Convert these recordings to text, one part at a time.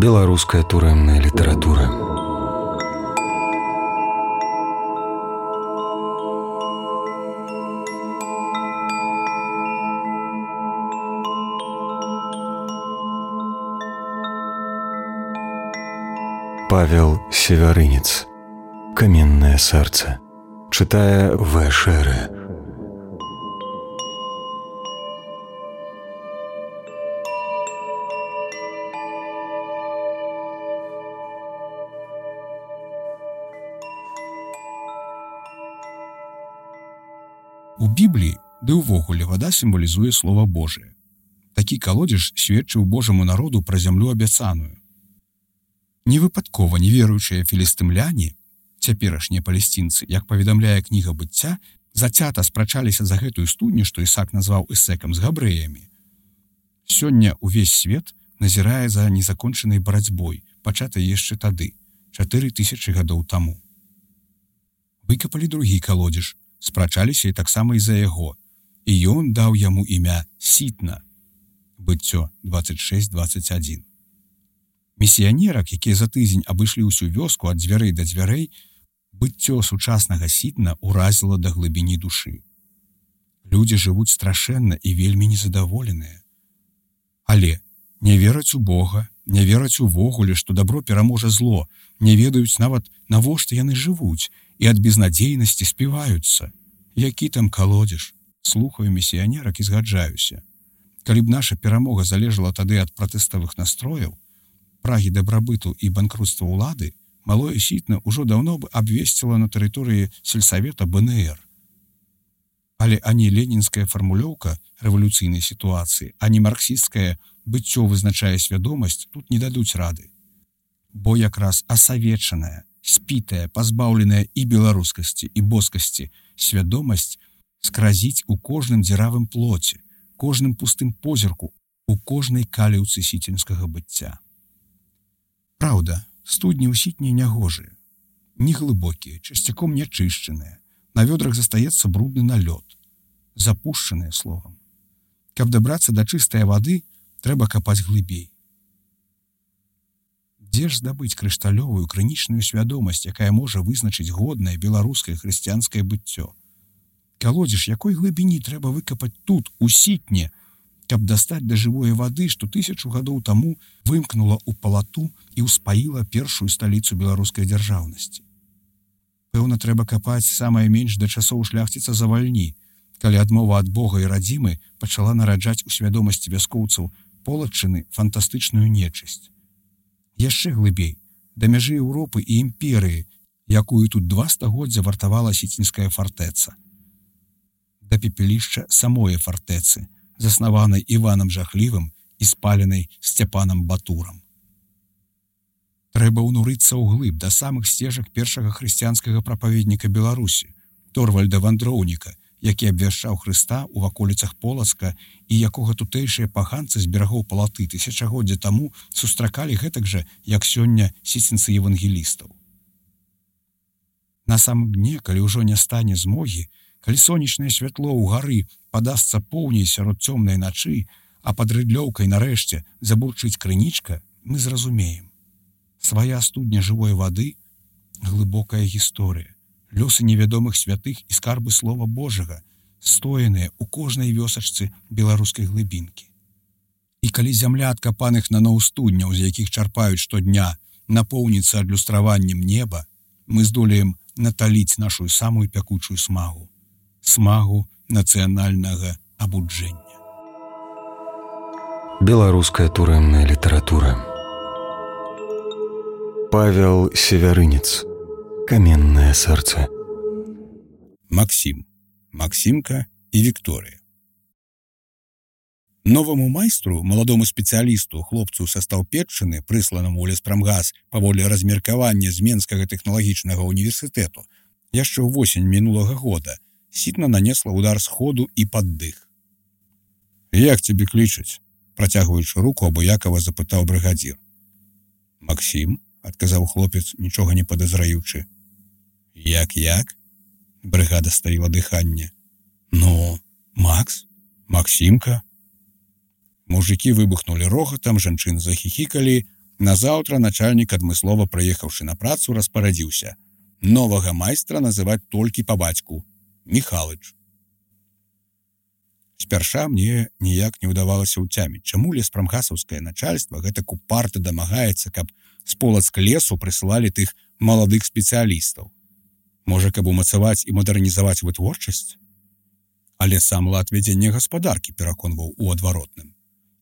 Беларуская турэмная літаратура. Павел Севярынец. «Каменное сердце». Читая В. Шере. У Бібліі, ды ўвогуле, вада сімвалізуе Слова Божие. Такі калодзеж сведчыў Божаму народу пра зямлю абяцаную. Невыпадкова неверуючыя філістымляне, цяперашнія палесцінцы, як паведамляе кніга быцця, зацята спрачаліся за гэтую студню, што Ісак назваў Эсекам з габрэямі. Сёння ўвесь свет назірае за незакончанай барацьбой, пачатай яшчэ тады, 4000 гадоў таму. Выкапалі другі калодзеж, спрачаліся і таксама і за яго, і ён даў яму імя Сітна. Быццё 26:21. Місіянерак, якія за тыдзень абышлі ўсю вёску ад дзвярэй да дзвярэй, быццё сучаснага Сітна ўразіла да глыбіні душы. Людзі жывуць страшэнна і вельмі незадаволеныя. Але не вераць у Бога, не вераць увогуле, што дабро пераможа зло, не ведаюць нават, навошта яны жывуць, і ад безнадзейнасці співаюцца. Які там калодзеж? Слухаю місіянерак і згаджаюся. Калі б наша перамога залежала тады ад пратэставых настрояў, прагі дабрабыту і банкрутства ўлады, малое Сітна ўжо даўно б абвесціла на тэрыторыі сельсавета БНР. Але ані ленінская фармулёўка рэвалюцыйнай сітуацыі, ані марксісцкае быццё вызначае свядомасць тут не дадуць рады. Бо якраз асавечаная, спітая, пазбаўленая і беларускасці, і боскасці свядомасць скразіць у кожным дзіравым плоце, кожным пустым позірку, у кожнай каліўцы сіцінскага быцця. Праўда, студні ў Сітні нягожыя, неглыбокія, часцяком нячышчаныя, на вёдрах застаецца брудны налёт, запушчаныя словам. Каб дабрацца да чыстае вады, трэба капаць глыбей. Дзе ж здабыць крышталёвую крынічную свядомасць, якая можа вызначыць годнае беларускае хрысціянскае быццё? Калодзеж якой глыбіні трэба выкапаць тут, у Сітне, каб дастаць да жывой вады, што 1000 гадоў таму вымкнула ў палату і ўспаіла першую сталіцу беларускай дзяржаўнасці. Пэўна, трэба капаць самае менш да часоў шляхціца Завальні, калі адмова ад Бога і радзімы пачала нараджаць у свядомасці вяскоўцаў полаччыны фантастычную нечысць. Яшчэ глыбей, да мяжы Еўропы і імперыі, якую тут 2 стагоддзя вартавала сіцінская фартэца. Да пепелішча самой фартэцы, заснаванай Іванам Жахлівым і спаленай Сцяпанам Батурам. Трэба ўнурыцца ўглыб да самых сцежак першага хрысціянскага прапаведніка Беларусі, Торвальда Вандроўніка, які абвяшчаў Хрыста ў ваколіцах Полацка і якога тутэйшыя паганцы з берагоў палаты тысячагоддзя таму сустракалі гэтак жа, як сёння сіцінцы евангелістаў. На самым дне, калі ўжо не стане змогі, калі сонечнае святло ў гары падасца поўней сярод цёмнай начы, а пад рыдлёўкай нарэшце забурчыць крынічка, мы зразумеем. Свая студня жывой вады — глыбокая гісторыя, лёсы невядомых святых і скарбы Слова Божага, стояныя ў кожнай вёсачцы беларускай глыбінкі. І калі зямля адкапаных наноў студняў, з якіх чарпаюць штодня, напоўніцца адлюстраваннем неба, мы здолеем наталіць нашу самую пякучую смагу. Смагу нацыянальнага абуджэння. Беларуская турэмная літаратура. Павел Севярынец. «Каменное сердце». Максім, Максімка і Вікторыя. Новаму майстру, маладому спецыялісту, хлопцу са Стаўпетчыны, прысланаму ў леспрамгас паводле размеркавання з Менскага тэхналагічнага універсітэту, яшчэ ўвосень мінулага года Сітна нанесла ўдар сходу і паддых. «Як цябе клічуць?» – працягваючы руку, абыякава запытаў брыгадзір. «Максім», – адказаў хлопец, нічога не падазраючы. «Як? Брыгада стаіла дыханне. «Ну, Макс? Максімка?» Мужыкі выбухнулі рогатам, жанчыны захіхікалі, Назаўтра начальнік, адмыслова прыехаўшы на працу, распарадзіўся: новага майстра называць толькі па бацьку — Міхалыч. Спярша мне ніяк не ўдавалася ўцяміць, чаму леспрамгасаўскае начальства гэтак упарта дамагаецца, каб з полацк лесу прысылалі тых маладых спецыялістаў. Можа, каб умацаваць і мадэрнізаваць вытворчасць? Але сам лад вядзення гаспадаркі пераконваў у адваротным.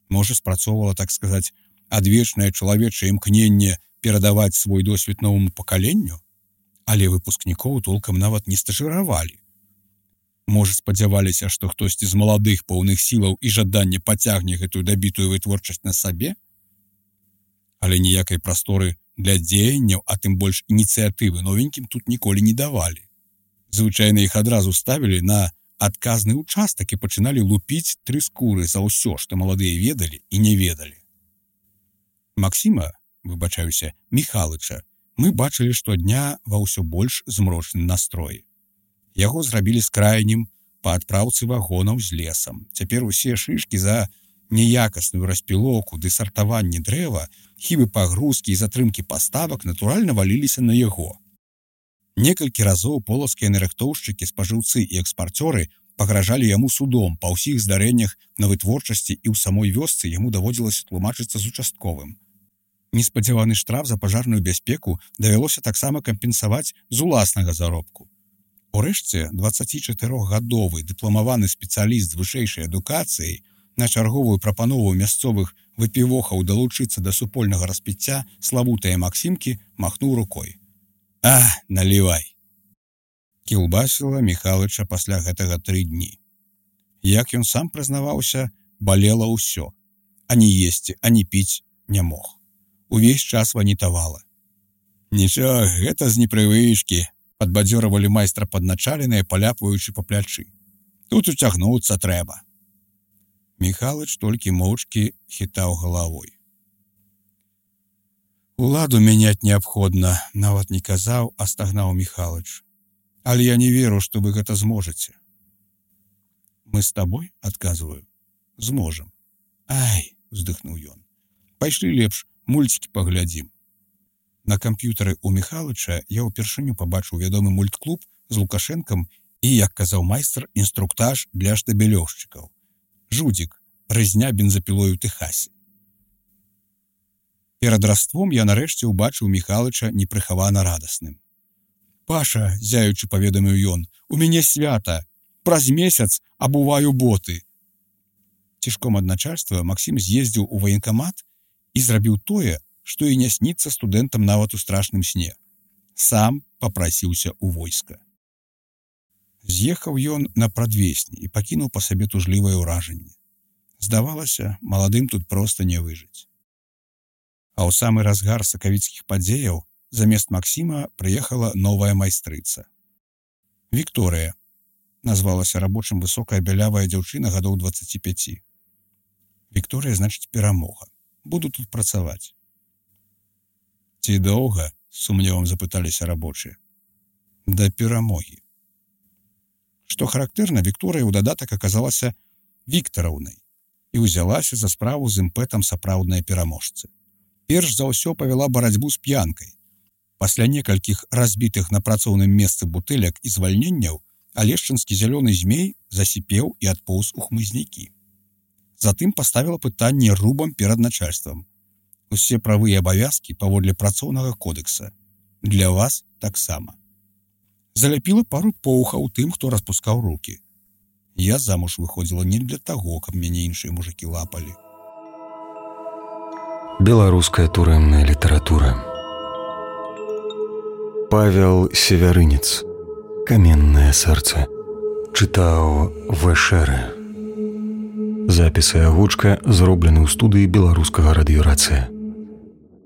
Можа, спрацоўвала, так сказаць, адвечнае чалавечае імкненне перадаваць свой досвед новаму пакаленню? Але выпускнікоў толкам нават не стажыравалі. Можа, спадзяваліся, што хтосьці з маладых поўных сілаў і жадання пацягне гэтую дабітую вытворчасць на сабе? Але ніякай прасторы для дзеянняў, а тым больш ініцыятывы новенькім тут ніколі не давалі. Звычайна іх адразу ставілі на адказны ўчастак і пачыналі лупіць 3 скуры за ўсё, што маладыя ведалі і не ведалі. Максіма, выбачаюся, Міхалыча, мы бачылі штодня ва ўсё больш змрочным настроі. Яго зрабілі скрайнім па адпраўцы вагонаў з лесам. Цяпер усе шышкі за неякасную распілоўку ды сартаванне дрэва, хібы пагрузкі і затрымкі паставак натуральна валіліся на яго. Некалькі разоў полацкія нарыхтоўшчыкі, спажыўцы і экспарцёры пагражалі яму судом па ўсіх здарэннях на вытворчасці, і ў самой вёсцы яму даводзілася тлумачыцца з участковым. Неспадзяваны штраф за пажарную бяспеку давялося таксама кампенсаваць з уласнага заробку. Урэшце, 24-гадовы дыпламаваны спецыяліст з вышэйшай адукацыяй на чарговую прапанову мясцовых выпівохаў далучыцца да супольнага распіцця славутыя Максімкі махнуў рукой: «А, налівай!» Кілбасіла Міхалыча пасля гэтага 3 дні. Як ён сам прызнаваўся, балела ўсё. Ані есці, ані піць не мог. Увесь час ванітавала. «Нічога, гэта з непрывычкі», — падбадзёрывалі майстра падначаленыя, паляпваючы па плячы. «Тут уцягнуцца трэба». Міхалыч толькі моўчкі хітаў галавой. «Уладу мяняць неабходна», — нават не казаў, а стагнаў Міхалыч. «Але я не веру, што вы гэта зможаце». «Мы з табой, — адказваю, — зможам». «Ай!» — уздыхнуў ён. «Пайшлі лепш мульцікі паглядзім». На камп'ютары ў Міхалыча я ўпершыню пабачыў вядомы мультклуб з Лукашэнкам і, як казаў майстар, інструктаж для штабелёўшчыкаў. «Жудзік. Рызня бензапілой у Тэхасе». Перад раством я нарэшце ўбачыў Міхалыча непрыхавана радасным. «Паша, — зяючы паведаміў ён, — у мяне свята. Праз месяц абуваю боты». Цішком ад начальства Максім з'ездзіў у ваенкамат і зрабіў тое, што і не сніцца студэнтам нават у страшным сне. Сам папрасіўся ў войска. З'ехаў ён на прадвесні і пакінуў па сабе тужлівае ўражанне. Здавалася, маладым тут проста не выжыць. А ў самы разгар сакавіцкіх падзеяў замест Максіма прыехала новая майстрыца. Вікторыя. Назвалася рабочым высокая бялявая дзяўчына гадоў 25. Вікторыя значыць перамога. Буду тут працаваць. «Ці доўга?» — з сумневам запыталіся рабочыя. «Да перамогі». Што характэрна, Вікторыя ў дадатак аказалася Віктараўнай і ўзялася за справу з імпэтам сапраўднай пераможцы. Перш за ўсё павяла барацьбу з п'янкай. Пасля некалькіх разбітых на працоўным месцы бутэлек і звальненняў алешчынскі зялёны змей засіпеў і адпоўз у хмызнякі. Затым паставіла пытанне рубам перад начальствам. Усе правы і абавязкі паводле працоўнага кодэкса. Для вас таксама. Заляпіла пару поўхаў тым, хто распускаў рукі. Я замуж выходзіла не для таго, каб мяне іншыя мужыкі лапалі. Беларуская турэмная літаратура. Павел Севярынец. Каменнае сэрца. Чытаў В.Шэрэ. Запіс і агучка зроблены ў студыі беларускага радыёрацыя.